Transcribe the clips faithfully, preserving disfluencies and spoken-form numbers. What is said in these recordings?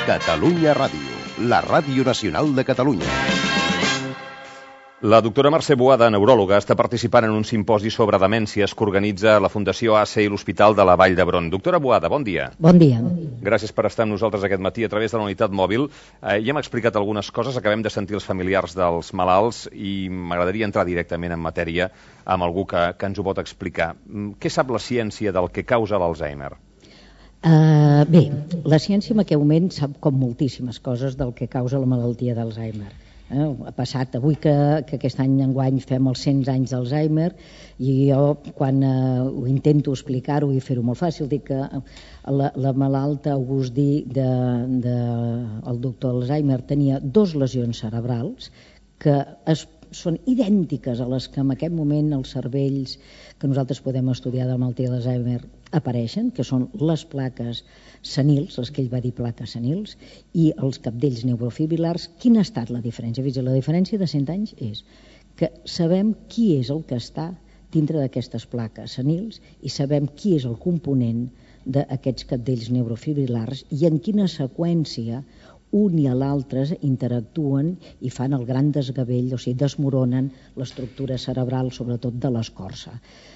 Catalunya Ràdio, la ràdio nacional de Catalunya. La doctora Mercè Boada, neuròloga, està participant en un simposi sobre demències que organitza la Fundació A C E i l'Hospital de la Vall d'Hebron. Doctora Boada, bon dia. Bon dia. Gràcies per estar amb nosaltres aquest matí a través de la unitat mòbil. Eh, ja hem explicat algunes coses, acabem de sentir els familiars dels malalts i m'agradaria entrar directament en matèria amb algú que, que ens ho pot explicar. Què sap la ciència del que causa l'Alzheimer? Uh, bé, la ciència en aquest moment sap com moltíssimes coses del que causa la malaltia d'Alzheimer. Eh, ha passat avui que, que aquest any enguany fem els cent anys d'Alzheimer i jo quan eh, ho intento explicar-ho i fer-ho molt fàcil dic que la, la malalta August-Dee de, de, el doctor Alzheimer tenia dos lesions cerebrals que es, són idèntiques a les que en aquest moment els cervells que nosaltres podem estudiar de la malaltia d'Alzheimer apareixen, que són les plaques senils, les que ell va dir plaques senils, i els capdells neurofibril·lars. Quina ha estat la diferència? La diferència de cent anys és que sabem qui és el que està dintre d'aquestes plaques senils i sabem qui és el component d'aquests capdells neurofibrilars i en quina seqüència un i l'altre interactuen i fan el gran desgavell, o sigui, desmoronen l'estructura cerebral, sobretot de l'escorça.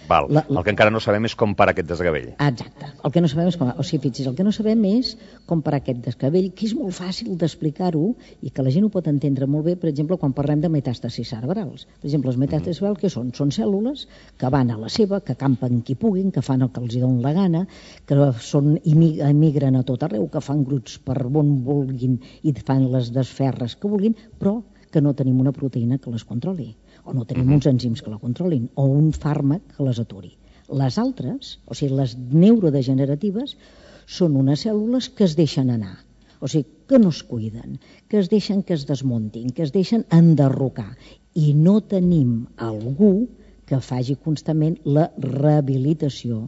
Val. La, la... El que encara no sabem és com parar aquest desgavell. Exacte. El que no sabem és com... O sigui, fixi's, el que no sabem és com parar aquest desgavell, que és molt fàcil d'explicar-ho i que la gent ho pot entendre molt bé, per exemple, quan parlem de metàstasis cerebrals. Per exemple, les metàstasis cerebrals, mm-hmm. què són? Són cèl·lules que van a la seva, que campen qui puguin, que fan el que els donen la gana, que són, emigren a tot arreu, que fan grups per on vulguin i fan les desferres que vulguin, però que no tenim una proteïna que les controli, o no tenim uns enzims que la controlin, o un fàrmac que les aturi. Les altres, o sigui, les neurodegeneratives, són unes cèl·lules que es deixen anar, o sigui, que no es cuiden, que es deixen que es desmuntin, que es deixen enderrocar, i no tenim algú que faci constantment la rehabilitació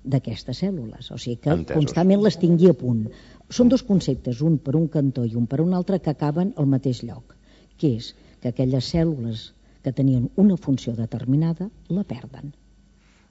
d'aquestes cèl·lules, o sigui que Entesos. Constantment les tingui a punt. Són dos conceptes, un per un cantó i un per un altre, que acaben al mateix lloc, que és que aquelles cèl·lules que tenien una funció determinada la perden.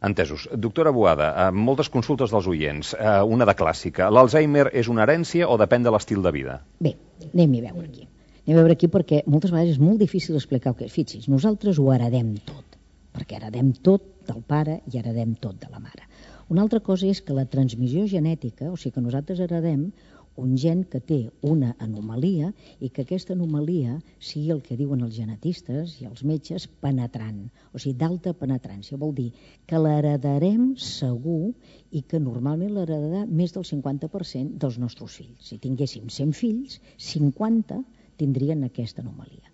Entesos. Doctora Boada, moltes consultes dels oients, una de clàssica. L'Alzheimer és una herència o depèn de l'estil de vida? Bé, anem-hi a veure aquí. Anem a veure aquí perquè moltes vegades és molt difícil explicar el que és. Fixi's, nosaltres ho heredem tot, perquè heredem tot del pare i heredem tot de la mare. Una altra cosa és que la transmissió genètica, o sigui que nosaltres heredem un gen que té una anomalia i que aquesta anomalia sigui el que diuen els genetistes i els metges penetrant, o sigui d'alta penetrància. Vol dir que l'heredarem segur i que normalment l'heredarà més del cinquanta per cent dels nostres fills. Si tinguéssim cent fills, cinquanta tindrien aquesta anomalia.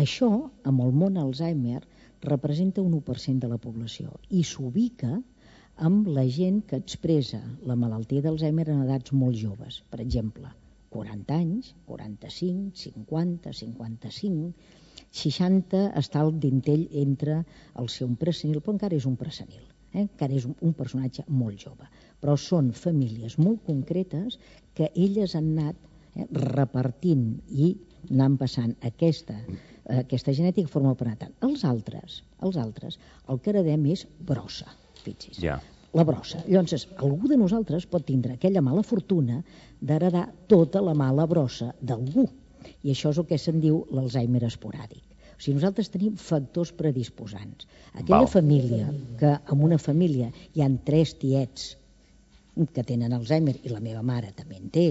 Això, amb el món Alzheimer, representa un u per cent de la població i s'ubica amb la gent que expressa la malaltia d'Alzheimer en edats molt joves. Per exemple, quaranta anys, quaranta-cinc, cinquanta, cinquanta-cinc, seixanta està el dintell entre el ser un presenil, però encara és un presenil, eh? encara és un, un personatge molt jove. Però són famílies molt concretes que elles han anat eh, repartint i anant passant aquesta, aquesta genètica de forma penetrant. Els altres, els altres, el que heredem és brossa. Fixi's, yeah. La brossa. Llavors, algú de nosaltres pot tindre aquella mala fortuna d'heredar tota la mala brossa d'algú. I això és el que se'n diu l'Alzheimer esporàdic. O sigui, nosaltres tenim factors predisposants. Aquella Val. família, que en una família hi han tres tiets que tenen Alzheimer, i la meva mare també en té,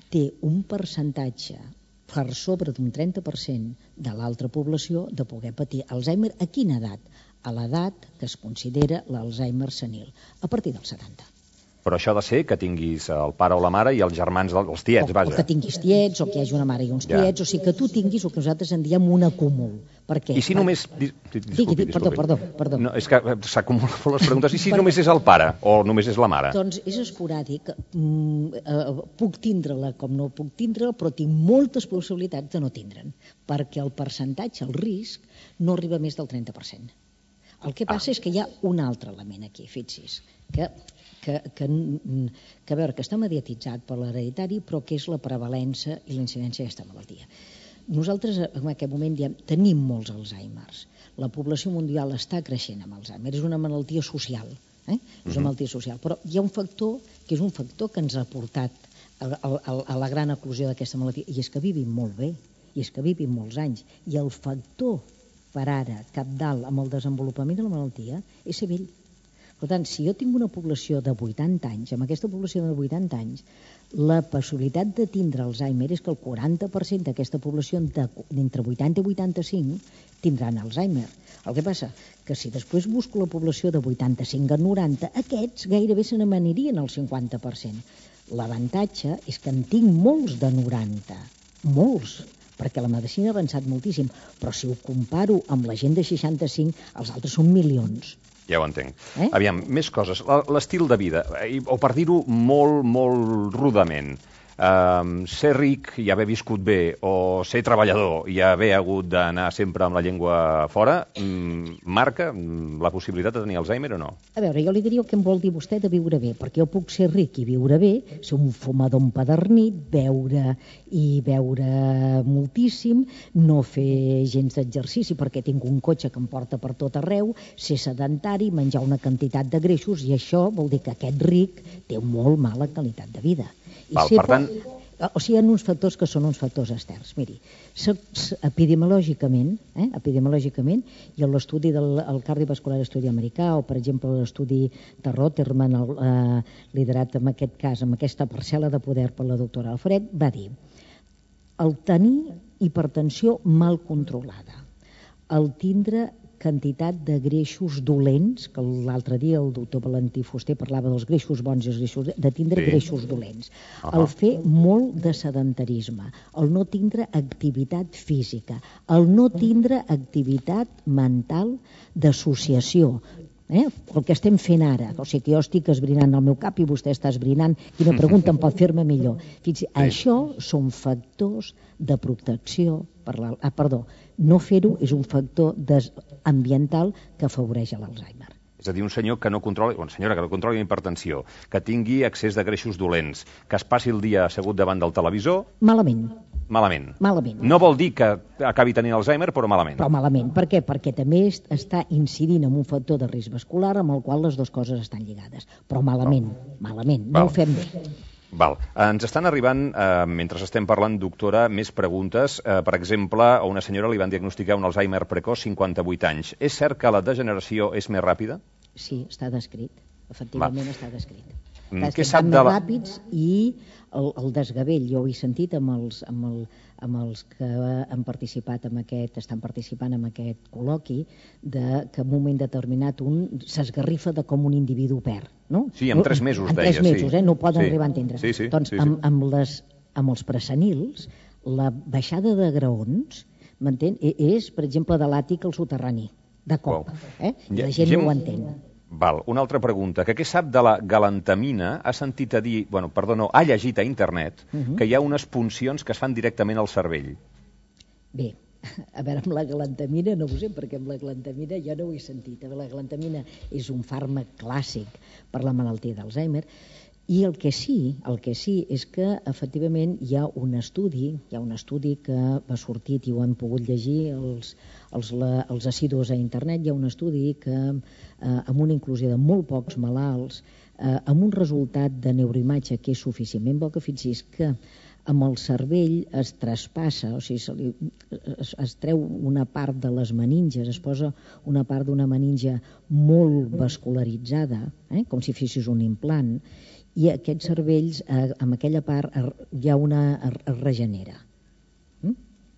té un percentatge per sobre d'un trenta per cent de l'altra població de poder patir Alzheimer. A quina edat? A l'edat que es considera l'Alzheimer senil, a partir dels setanta. Però això ha de ser que tinguis el pare o la mare i els germans dels tiets, o, vaja. O que tinguis tiets, o que hi hagi una mare i uns ja. tiets, o sigui que tu tinguis el que nosaltres en diem un acúmul. Per què? I si només... Disculpi, digui, digui, perdó, perdó, perdó. No, és que s'acumulen les preguntes. I si per... només és el pare o només és la mare? Doncs és esporàdic. Mm, eh, puc tindre-la com no puc tindre-la, però tinc moltes possibilitats de no tindre'n, perquè el percentatge, el risc, no arriba més del trenta per cent. El que passa ah. és que hi ha un altre element aquí, fixi's, que, que, que, que, a veure, que està mediatitzat per l'hereditari, però que és la prevalença i la incidència d'aquesta malaltia. Nosaltres en aquest moment diem, tenim molts Alzheimers. La població mundial està creixent amb Alzheimer. És una malaltia social. Eh? És una malaltia social. Però hi ha un factor que és un factor que ens ha portat a, a, a la gran eclosió d'aquesta malaltia, i és que vivim molt bé, i és que vivim molts anys. I el factor per ara cabdal amb el desenvolupament de la malaltia és ser vell. Per tant, si jo tinc una població de vuitanta anys, amb aquesta població de vuitanta anys, la possibilitat de tindre Alzheimer és que el quaranta per cent d'aquesta població d'entre vuitanta i vuitanta-cinc tindran Alzheimer. El que passa que si després busco la població de vuitanta-cinc a noranta, aquests gairebé se n'amanirien al cinquanta per cent. L'avantatge és que en tinc molts de noranta, molts, perquè la medicina ha avançat moltíssim, però si ho comparo amb la gent de seixanta-cinc, els altres són milions. Ja ho entenc. Eh? Aviam, més coses. L'estil de vida, o per dir-ho molt, molt rudament, Um, ser ric i haver viscut bé, o ser treballador i haver hagut d'anar sempre amb la llengua fora, um, marca um, la possibilitat de tenir Alzheimer o no? A veure, jo li diria el que em vol dir vostè de viure bé, perquè jo puc ser ric i viure bé, ser un fumador empedernit, beure i beure moltíssim, no fer gens d'exercici perquè tinc un cotxe que em porta per tot arreu, ser sedentari, menjar una quantitat de greixos, i això vol dir que aquest ric té molt mala qualitat de vida. I Val, per tant... O sigui, hi ha uns factors que són uns factors externs. Miri, epidemiològicament, eh, epidemiològicament, i l'estudi del el cardiovascular estudi americà, o per exemple l'estudi de Roterman, el, eh, liderat en aquest cas, amb aquesta parcel·la de poder per la doctora Alfred, va dir: el tenir hipertensió mal controlada, el tindre quantitat de greixos dolents, que l'altre dia el doctor Valentí Fuster parlava dels greixos bons i els greixos, de tindre sí. greixos dolents, uh -huh. el fer molt de sedentarisme, el no tindre activitat física, el no tindre activitat mental d'associació, Eh? el que estem fent ara, o sigui que jo estic esbrinant el meu cap i vostè està esbrinant, quina pregunta em pot fer-me millor. Fins, sí. Això són factors de protecció per la, ah, perdó, no fer-ho és un factor ambiental que afavoreix l'Alzheimer. És a dir, un senyor que no controli, una senyora que no controli la hipertensió, que tingui excés de greixos dolents, que es passi el dia assegut davant del televisor... Malament. Malament. Malament. No vol dir que acabi tenint Alzheimer, però malament. Però malament. Per què? Perquè també està incidint en un factor de risc vascular amb el qual les dues coses estan lligades. Però malament, no. malament. No Val. Ho fem bé. Val. Ens estan arribant, eh, mentre estem parlant, doctora, més preguntes. Eh, per exemple, a una senyora li van diagnosticar un Alzheimer precoç, cinquanta-vuit anys. És cert que la degeneració és més ràpida? Sí, està descrit. Efectivament Va. està descrit. Mm, Què sap de la... ràpids i el, el desgavell. Jo ho he sentit amb els, amb, el, amb els que han participat en aquest, estan participant en aquest col·loqui, de que en un moment determinat un s'esgarrifa de com un individu perd. No? Sí, en tres mesos, en deia. En tres mesos, sí. eh? no ho poden sí. arribar a entendre. Sí, sí, doncs sí, sí. Amb, amb, les, amb els presenils, la baixada de graons, m'entén? És, per exemple, de l'àtic al soterrani, de cop. Wow. Eh? I la gent Gem... no ho entén. Val, una altra pregunta, que què sap de la galantamina? Ha sentit a dir, bueno, perdó, no, ha llegit a internet uh -huh. que hi ha unes puncions que es fan directament al cervell. Bé, a veure, amb la galantamina no ho sé, perquè amb la galantamina jo no ho he sentit. La galantamina és un fàrmac clàssic per la malaltia d'Alzheimer, i el que sí, el que sí és que efectivament hi ha un estudi, hi ha un estudi que va sortit i ho han pogut llegir els, els, la, els assidus a internet, hi ha un estudi que eh, amb una inclusió de molt pocs malalts, eh, amb un resultat de neuroimatge que és suficientment bo, que fixi's que amb el cervell es traspassa, o sigui, se li, es, es treu una part de les meninges, es posa una part d'una meninge molt vascularitzada, eh, com si fessis un implant, i aquests cervells, eh, amb aquella part, hi ha una, es regenera. Mm?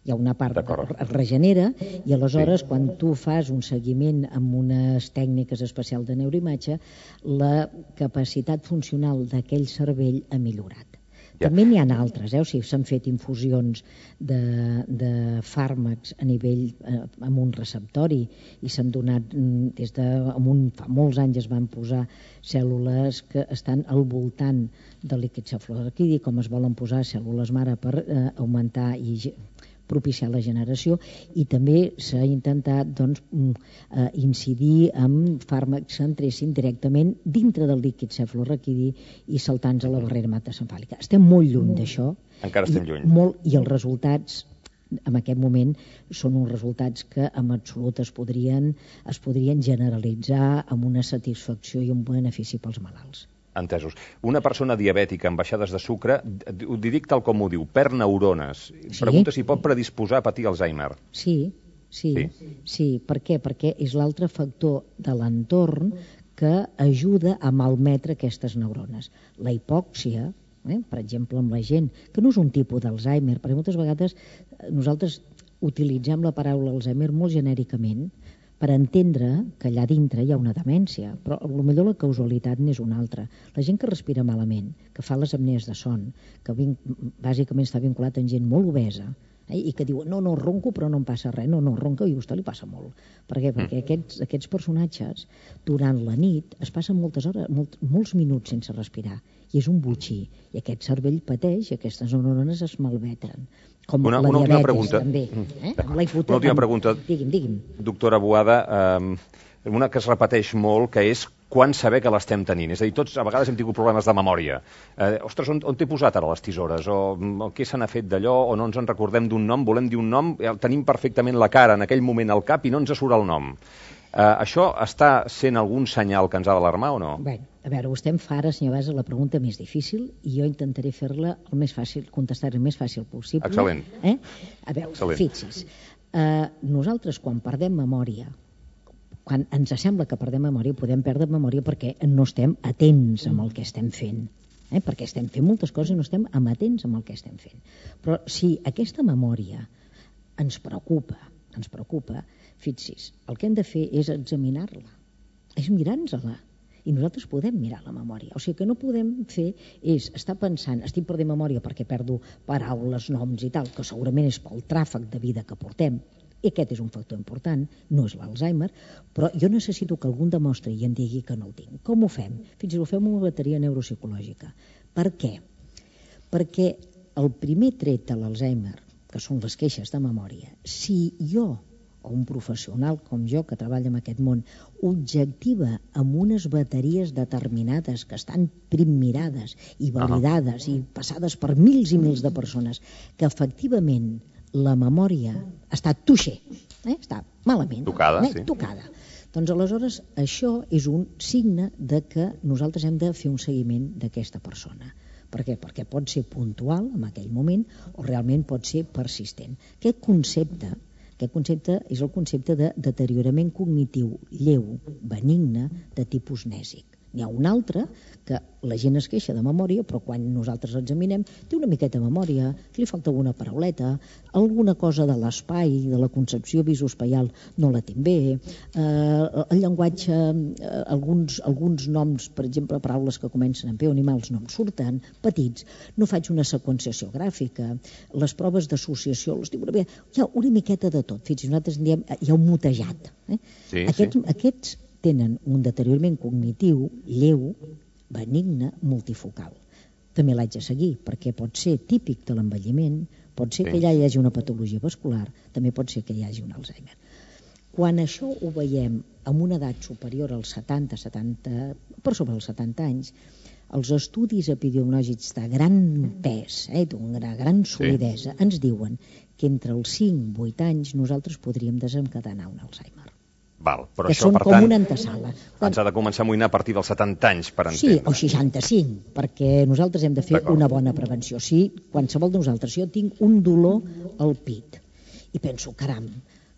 Hi ha una part que es regenera, i aleshores, sí. quan tu fas un seguiment amb unes tècniques especials de neuroimatge, la capacitat funcional d'aquell cervell ha millorat. Ja. També n'hi ha altres, eh? O sigui, s'han fet infusions de, de fàrmacs a nivell, eh, amb un receptori, i s'han donat, des de amb un, fa molts anys es van posar cèl·lules que estan al voltant del líquid cefalorraquidi, com es volen posar cèl·lules mare per eh, augmentar i propiciar la generació, i també s'ha intentat doncs, eh, incidir en fàrmacs que entressin directament dintre del líquid cefalorraquidi i saltant a la barrera hematoencefàlica. Estem molt lluny d'això. Encara estem lluny. Molt, i els resultats en aquest moment són uns resultats que en absolut es podrien, es podrien generalitzar amb una satisfacció i un benefici pels malalts. Entesos. Una persona diabètica amb baixades de sucre, ho dic tal com ho diu, perd neurones. Sí. Pregunta si pot predisposar a patir Alzheimer. Sí, sí, Sí? sí. Per què? Perquè és l'altre factor de l'entorn que ajuda a malmetre aquestes neurones. La hipòxia, eh, per exemple, amb la gent, que no és un tipus d'Alzheimer, perquè moltes vegades nosaltres utilitzem la paraula Alzheimer molt genèricament per entendre que allà dintre hi ha una demència, però potser la causalitat n'és una altra. La gent que respira malament, que fa les apnees de son, que vinc, bàsicament està vinculat amb gent molt obesa, eh, i que diu, no, no, ronco però no em passa res, no, no, ronca i a vostè li passa molt. Per què? Perquè aquests, aquests personatges, durant la nit, es passen moltes hores, molt, molts minuts sense respirar, i és un botxí, i aquest cervell pateix i aquestes neurones es malmetren. Com una, la una última diabetis, pregunta. també. Eh? Amb la hipote- Una última pregunta. Digui'm, digui'm. Doctora Boada, eh, una que es repeteix molt, que és quan saber que l'estem tenint. És a dir, tots a vegades hem tingut problemes de memòria. Eh, ostres, on, on t'he posat ara les tisores? O, o què se n'ha fet d'allò? O no ens en recordem d'un nom? Volem dir un nom? El tenim perfectament la cara en aquell moment al cap i no ens surt el nom. Eh, això està sent algun senyal que ens ha d'alarmar o no? Bé, a veure, vostè em fa ara, senyor Basa, la pregunta més difícil i jo intentaré fer-la el més fàcil, contestar el més fàcil possible. Excel·lent. Eh? A veure, Excel·lent. fixi's, eh, nosaltres quan perdem memòria, quan ens sembla que perdem memòria, podem perdre memòria perquè no estem atents amb el que estem fent. Eh? Perquè estem fent moltes coses i no estem amatents amb el que estem fent. Però si aquesta memòria ens preocupa, ens preocupa, fixi's, el que hem de fer és examinar-la, és mirar-nos-la. I nosaltres podem mirar la memòria. O sigui, que no podem fer és estar pensant, estic perdent memòria perquè perdo paraules, noms i tal, que segurament és pel tràfic de vida que portem, i aquest és un factor important, no és l'Alzheimer, però jo necessito que algú em demostri i em digui que no el tinc. Com ho fem? Fins i tot ho fem amb una bateria neuropsicològica. Per què? Perquè el primer tret de l'Alzheimer, que són les queixes de memòria, si jo o un professional com jo que treballa en aquest món objectiva amb unes bateries determinades que estan primmirades i validades i passades per mils i mils de persones, que efectivament la memòria està tuixer, eh? està malament, Tocada, eh? sí. tocada. Doncs aleshores això és un signe de que nosaltres hem de fer un seguiment d'aquesta persona. Per què? Perquè pot ser puntual en aquell moment o realment pot ser persistent. Aquest concepte Aquest concepte és el concepte de deteriorament cognitiu lleu, benigne, de tipus nèsic. N'hi ha un altre que la gent es queixa de memòria, però quan nosaltres l'examinem té una miqueta de memòria, li falta alguna parauleta, alguna cosa de l'espai, de la concepció visoespaial no la té bé, eh, el llenguatge, eh, alguns, alguns noms, per exemple, paraules que comencen amb P o animals no em surten, petits, no faig una seqüenciació gràfica, les proves d'associació, les dic una mica, hi ha una miqueta de tot, fins i tot nosaltres en diem, hi ha un mutejat. Eh? Sí, aquests, sí. aquests tenen un deteriorament cognitiu lleu, benigne, multifocal. També l'haig de seguir, perquè pot ser típic de l'envelliment, pot ser Sí. que allà hi hagi una patologia vascular, també pot ser que hi hagi un Alzheimer. Quan això ho veiem amb una edat superior als setanta, setanta, per sobre els setanta anys, els estudis epidemiològics de gran pes, eh, d'una gran solidesa, sí. ens diuen que entre els cinc i vuit anys nosaltres podríem desencadenar un Alzheimer. Val, però que això, són per com tant, una antesala. ens ha de començar a amoïnar a partir dels setanta anys, per Sí, entendre. o seixanta-cinc, perquè nosaltres hem de fer D'acord. una bona prevenció. Si qualsevol de nosaltres, si jo tinc un dolor al pit i penso, caram,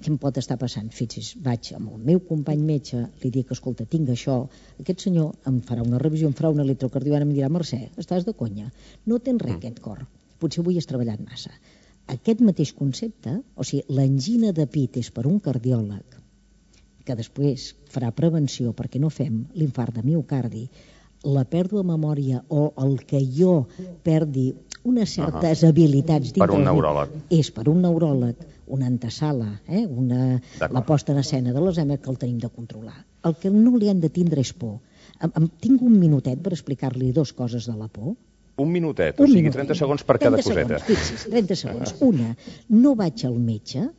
què em pot estar passant? Fixi's, vaig amb el meu company metge, li dic, escolta, tinc això, aquest senyor em farà una revisió, em farà un electrocardiograma i em dirà, Mercè, estàs de conya, no tens res, mm. aquest cor, potser avui has treballat massa. Aquest mateix concepte, o sigui, l'angina de pit és per un cardiòleg, que després farà prevenció perquè no fem l'infart de miocardi, la pèrdua de memòria o el que jo perdi unes certes uh -huh. habilitats per un del- neuròleg. és per un neuròleg una antesala, eh? una, la posta en escena de l'Alzheimer que el tenim de controlar. El que no li han de tindre és por. Em, em, tinc un minutet per explicar-li dos coses de la por. Un minutet, Un o sigui, minutet. trenta segons per cada trenta coseta. Segons, fixi's, trenta segons. Una, no vaig al metge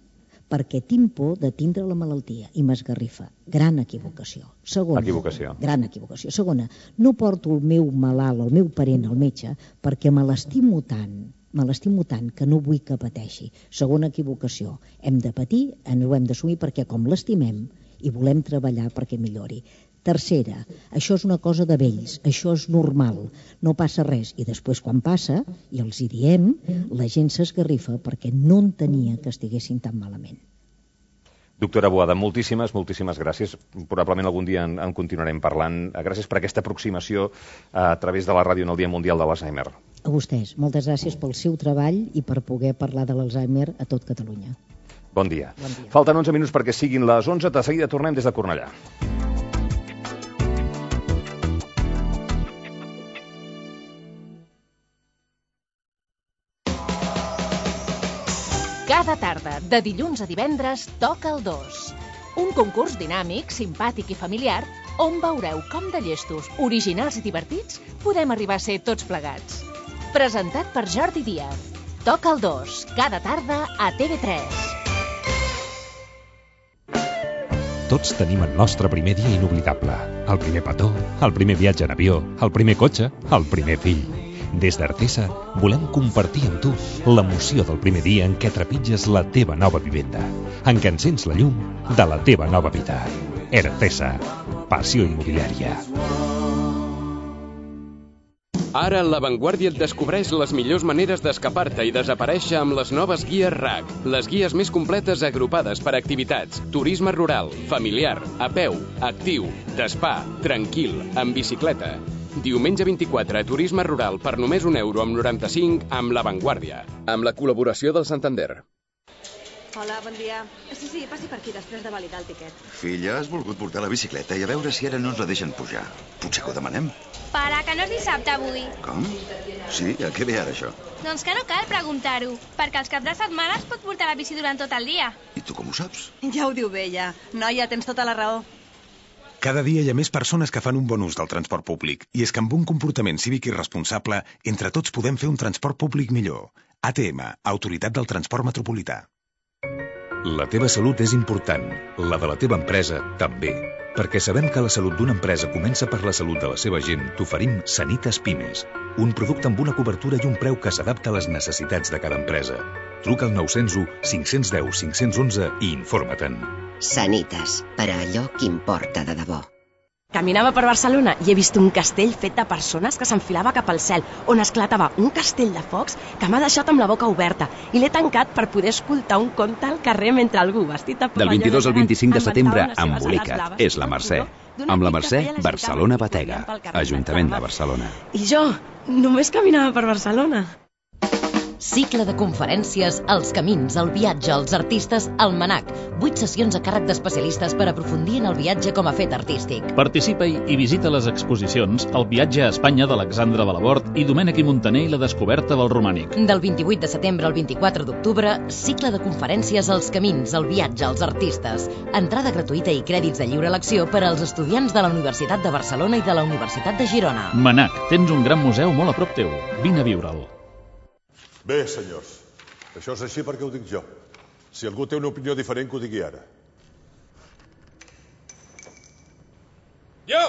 perquè tinc por de tindre la malaltia i m'esgarrifa. Gran equivocació. Segona, Equivocació. gran equivocació. Segona, no porto el meu malalt, el meu parent al metge perquè me l'estimo tant me l'estimo tant que no vull que pateixi. Segona equivocació, hem de patir, ens ho hem d'assumir perquè com l'estimem i volem treballar perquè millori. Tercera, això és una cosa de vells, això és normal, no passa res. I després quan passa, i els hi diem, la gent s'esgarrifa perquè no entenia que estiguessin tan malament. Doctora Boada, moltíssimes, moltíssimes gràcies. Probablement algun dia en, en continuarem parlant. Gràcies per aquesta aproximació a través de la ràdio en el Dia Mundial de l'Alzheimer. A vostès, moltes gràcies pel seu treball i per poder parlar de l'Alzheimer a tot Catalunya. Bon dia. Bon dia. Falten onze minuts perquè siguin les onze. De seguida tornem des de Cornellà. Cada tarda, de dilluns a divendres, Toca el dos. Un concurs dinàmic, simpàtic i familiar on veureu com de llestos, originals i divertits podem arribar a ser tots plegats. Presentat per Jordi Díaz. Toca el dos, cada tarda a T V tres. Tots tenim el nostre primer dia inoblidable. El primer petó, el primer viatge en avió, el primer cotxe, el primer fill. Des d'Artesa volem compartir amb tu l'emoció del primer dia en què trepitges la teva nova vivenda, en què encens la llum de la teva nova vida. Artesa, passió immobiliària. Ara La Vanguardia et descobreix les millors maneres d'escapar-te i desaparèixer amb les noves guies R A C, les guies més completes agrupades per activitats, turisme rural, familiar, a peu, actiu, d'espa, tranquil, en bicicleta. Diumenge vint-i-quatre, turisme rural per només un euro amb noranta-cinc amb La Vanguardia, amb la col·laboració del Santander. Hola, bon dia. Sí, sí, passi per aquí després de validar el tiquet. Filla, has volgut portar la bicicleta i a veure si ara no ens la deixen pujar. Potser que ho demanem? Pare, que no és dissabte avui. Com? Sí, a què ve ara això? Doncs que no cal preguntar-ho, perquè els caps de setmana es pot portar la bici durant tot el dia. I tu com ho saps? Ja ho diu bé, ja. Noia, tens tota la raó. Cada dia hi ha més persones que fan un bon ús del transport públic i és que amb un comportament cívic i responsable, entre tots podem fer un transport públic millor. A T M, Autoritat del Transport Metropolità. La teva salut és important, la de la teva empresa també. Perquè sabem que la salut d'una empresa comença per la salut de la seva gent, t'oferim Sanitas Pimes, un producte amb una cobertura i un preu que s'adapta a les necessitats de cada empresa. Truca al nou zero u, cinc cents i deu, cinc cents i onze i informa-te'n. Sanitas, per a allò que importa de debò. Caminava per Barcelona i he vist un castell fet de persones que s'enfilava cap al cel, on esclatava un castell de focs que m'ha deixat amb la boca oberta i l'he tancat per poder escoltar un conte al carrer mentre algú vestit de Del vint-i-dos al vint-i-cinc de setembre, embolica't. És la Mercè. Amb la Mercè, Barcelona Batega. Ajuntament de Barcelona. I jo només caminava per Barcelona. Cicle de conferències Els camins, el viatge, els artistes, el MANAC. Vuit sessions a càrrec d'especialistes per aprofundir en el viatge com a fet artístic. Participa-hi i visita les exposicions El viatge a Espanya d'Alexandre Balabort i Domènec i Montaner i la descoberta del romànic. Del vint-i-vuit de setembre al vint-i-quatre d'octubre, cicle de conferències Els camins, el viatge, els artistes. Entrada gratuïta i crèdits de lliure elecció per als estudiants de la Universitat de Barcelona i de la Universitat de Girona. MANAC, tens un gran museu molt a prop teu. Vine a viure'l. Bé, senyors, això és així perquè ho dic jo. Si algú té una opinió diferent, que ho digui ara. Jo!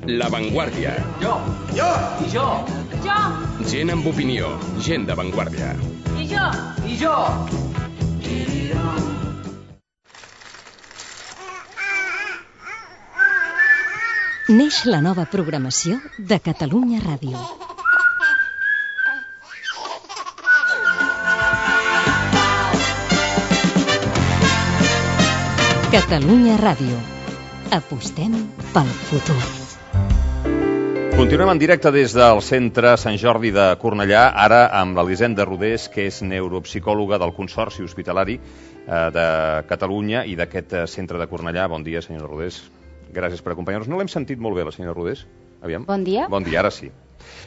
La Vanguardia. Jo! Jo! I jo! Jo! Gent amb opinió, gent de Vanguardia. I jo! I jo! Neix la nova programació de Catalunya Ràdio. Catalunya Ràdio. Apostem pel futur. Continuem en directe des del Centre Sant Jordi de Cornellà, ara amb l'Elisenda Rodés, que és neuropsicòloga del Consorci Hospitalari de Catalunya i d'aquest centre de Cornellà. Bon dia, senyora Rodés. Gràcies per acompanyar-nos. No l'hem sentit molt bé, la senyora Rodés? Aviam. Bon dia. Bon dia, ara sí.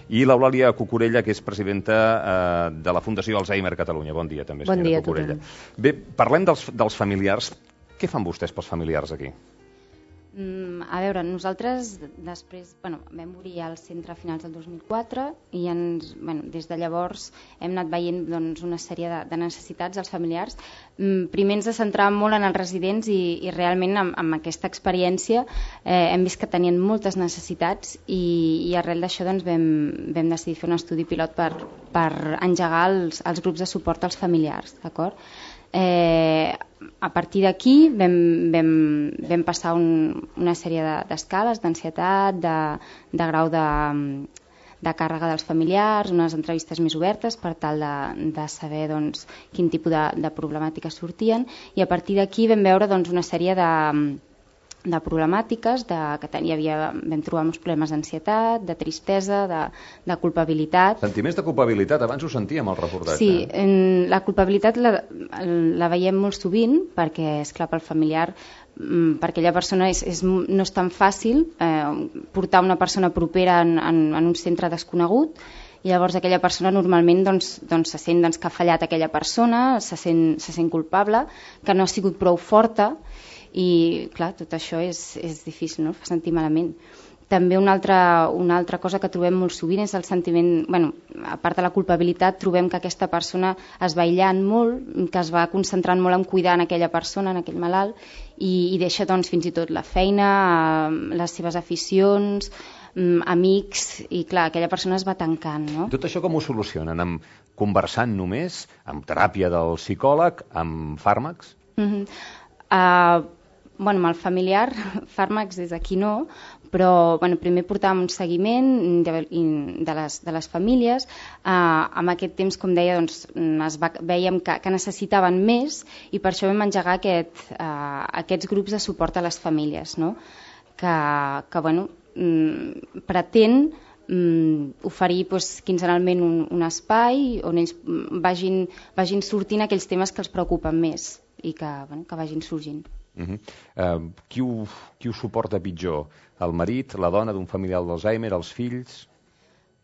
I l'Eulàlia Cucurella, que és presidenta eh, de la Fundació Alzheimer Catalunya. Bon dia, també, senyora bon dia, Cucurella. Tothom. Bé, parlem dels, dels familiars. Què fan vostès pels familiars aquí? Mm, a veure, nosaltres després bueno, vam obrir el centre a finals del dos mil quatre i ens, bueno, des de llavors hem anat veient doncs, una sèrie de, de necessitats als familiars. Mm, primer ens centràvem molt en els residents i, i realment amb, amb aquesta experiència eh, hem vist que tenien moltes necessitats i, i arrel d'això doncs, vam, vam decidir fer un estudi pilot per, per engegar els, els grups de suport als familiars, d'acord? Eh, a partir d'aquí vam, vam, vam passar un, una sèrie d'escales, d'ansietat, de, de grau de, de càrrega dels familiars, unes entrevistes més obertes per tal de, de saber doncs, quin tipus de, de problemàtiques sortien, i a partir d'aquí vam veure doncs, una sèrie de, de problemàtiques, de, que hi havia, vam trobar uns problemes d'ansietat, de tristesa, de, de culpabilitat. Sentiments de culpabilitat, abans ho sentíem al reportatge. Sí, en, la culpabilitat la, la veiem molt sovint perquè, esclar, pel familiar, per aquella persona és, és, no és tan fàcil eh, portar una persona propera en, en, en un centre desconegut, i llavors aquella persona normalment doncs, doncs, se sent doncs, que ha fallat aquella persona, se sent, se sent culpable, que no ha sigut prou forta, i clar, tot això és, és difícil, no? Fa sentir malament. També una altra, una altra cosa que trobem molt sovint és el sentiment, bueno, a part de la culpabilitat, trobem que aquesta persona es va aïllant molt, que es va concentrant molt en cuidar en aquella persona, en aquell malalt, i, i deixa doncs, fins i tot la feina, les seves aficions, amics, i clar, aquella persona es va tancant, no? Tot això com ho solucionen? Amb conversant només? Amb teràpia del psicòleg? Amb fàrmacs? Mm-hmm. Uh, bueno, amb el familiar, fàrmacs des d'aquí no, però bueno, primer portàvem un seguiment de, de, les, de les famílies. Uh, amb aquest temps, com deia, doncs, es va, vèiem que, que necessitaven més, i per això vam engegar aquest, uh, aquests grups de suport a les famílies, no? que, que bueno, mm, pretén mm, oferir doncs, quinzenalment un, un espai on ells vagin, vagin sortint aquells temes que els preocupen més i que, bueno, que vagin sorgint. Uh -huh. uh, qui, ho, qui ho suporta pitjor? El marit, la dona d'un familiar d'Alzheimer, els fills?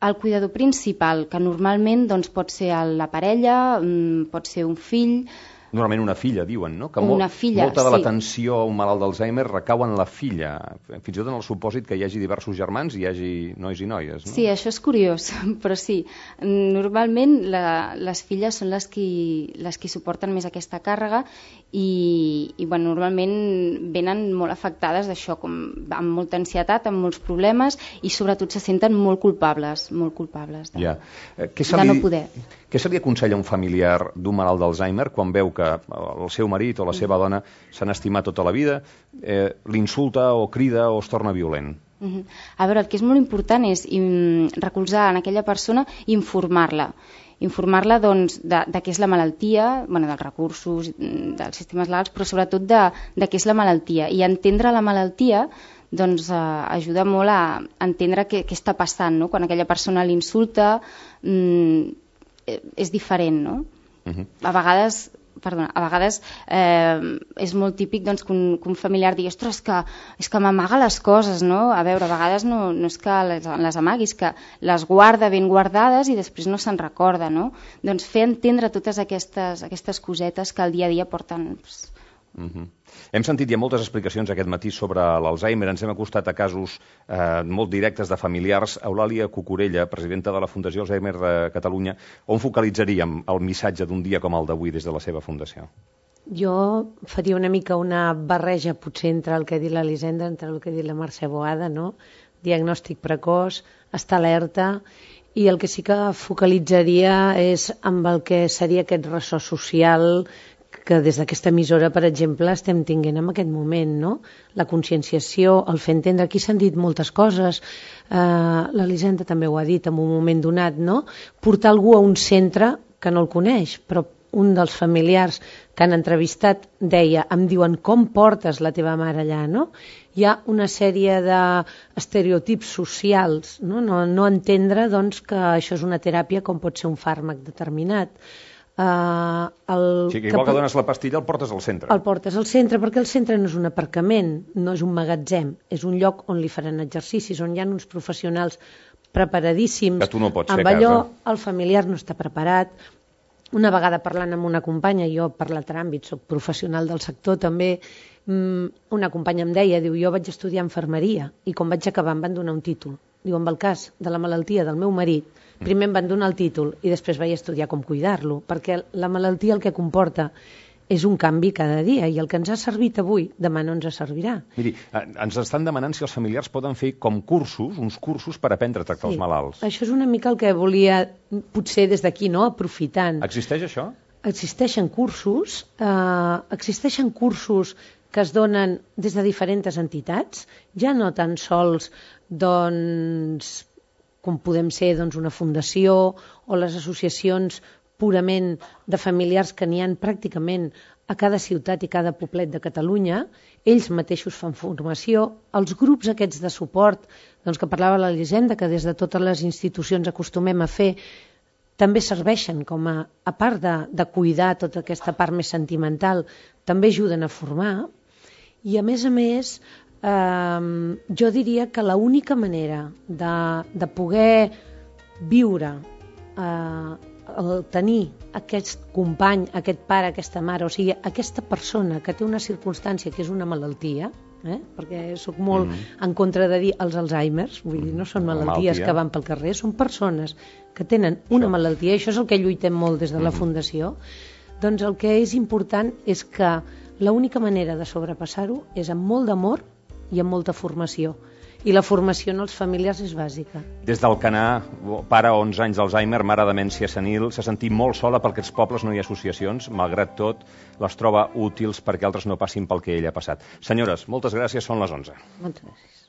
El cuidador principal, que normalment doncs, pot ser la parella, pot ser un fill. Normalment una filla, diuen, no? Que una molt, filla, molta de sí. l'atenció a un malalt d'Alzheimer recau en la filla, fins i tot en el supòsit que hi hagi diversos germans i hi hagi nois i noies, no? Sí, això és curiós, però sí. Normalment la, les filles són les qui, les qui suporten més aquesta càrrega i, i bueno, normalment venen molt afectades d'això, com amb molta ansietat, amb molts problemes, i sobretot se senten molt culpables, molt culpables de, ja. eh, què se de li, no poder. Què se li aconsella a un familiar d'un malalt d'Alzheimer quan veu que el seu marit o la seva dona s'han estimat tota la vida, eh, l'insulta o crida o es torna violent? Uh-huh. A veure, el que és molt important és um, recolzar en aquella persona i informar-la. Informar-la doncs, de, de què és la malaltia, bueno, dels recursos, dels sistemes legals, però sobretot de, de què és la malaltia. I entendre la malaltia doncs, eh, ajuda molt a entendre què, què està passant, no? Quan aquella persona l'insulta, mm, és diferent, no? Uh-huh. A vegades... Perdona, a vegades eh, és molt típic doncs, que, un, que un familiar digui ostres, que, és que m'amaga les coses, no? A veure, a vegades no, no és que les, les amagui, és que les guarda ben guardades i després no se'n recorda, no? Doncs fer entendre totes aquestes, aquestes cosetes que al dia a dia porten... Pues... Uh-huh. Hem sentit ja moltes explicacions aquest matí sobre l'Alzheimer, ens hem acostat a casos eh, molt directes de familiars. Eulàlia Cucurella, presidenta de la Fundació Alzheimer de Catalunya, on focalitzaríem el missatge d'un dia com el d'avui des de la seva fundació? Jo faria una mica una barreja potser entre el que ha dit l'Elisenda, entre el que ha dit la Mercè Boada, no? Diagnòstic precoç, estar alerta, i el que sí que focalitzaria és amb el que seria aquest ressò social que des d'aquesta emissora, per exemple, estem tinguent en aquest moment, no? La conscienciació, el fer entendre, aquí s'han dit moltes coses, eh, l'Elisenda també ho ha dit en un moment donat, no? Portar algú a un centre que no el coneix, però un dels familiars que han entrevistat deia, em diuen, com portes la teva mare allà, no? Hi ha una sèrie d'estereotips socials, no? No, no entendre doncs, que això és una teràpia com pot ser un fàrmac determinat. Uh, el o sigui, que igual que, que dones la pastilla el portes al centre. El portes al centre perquè el centre no és un aparcament, no és un magatzem, és un lloc on li faran exercicis, on hi ha uns professionals preparadíssims. Que tu no pots fer amb a allò, casa. El familiar no està preparat, una vegada parlant amb una companya, jo per l'altre àmbit, soc professional del sector també, una companya em deia, diu, jo vaig estudiar infermeria i quan vaig acabar em van donar un títol. Diu, amb el cas de la malaltia del meu marit, primer em van donar el títol i després vaig estudiar com cuidar-lo, perquè la malaltia el que comporta és un canvi cada dia i el que ens ha servit avui, demà no ens servirà. Miri, ens estan demanant si els familiars poden fer com cursos, uns cursos per aprendre a tractar els malalts. Això és una mica el que volia, potser des d'aquí, no?, aprofitant. Existeix això? Existeixen cursos, eh, existeixen cursos que es donen des de diferents entitats, ja no tan sols doncs, com podem ser doncs, una fundació o les associacions purament de familiars que n'hi ha pràcticament a cada ciutat i cada poblet de Catalunya, ells mateixos fan formació, els grups aquests de suport, doncs, que parlava l'Elisenda, que des de totes les institucions acostumem a fer, també serveixen com a, a part de, de cuidar tota aquesta part més sentimental, també ajuden a formar, i a més a més, eh, jo diria que l'única manera de, de poder viure, eh, el tenir aquest company, aquest pare, aquesta mare, o sigui, aquesta persona que té una circumstància que és una malaltia, eh? Perquè soc molt mm-hmm. en contra de dir els Alzheimer's, vull dir, no són malalties Malaltia. que van pel carrer, són persones que tenen una això. malaltia, i això és el que lluitem molt des de la mm-hmm. Fundació, doncs el que és important és que l'única manera de sobrepassar-ho és amb molt d'amor i amb molta formació. I la formació en els familiars és bàsica. Des del Canà, pare onze anys d'Alzheimer, mare de demència senil, s'ha sentit molt sola perquè als pobles no hi ha associacions, malgrat tot les troba útils perquè altres no passin pel que ell ha passat. Senyores, moltes gràcies, són les onze. Moltes gràcies.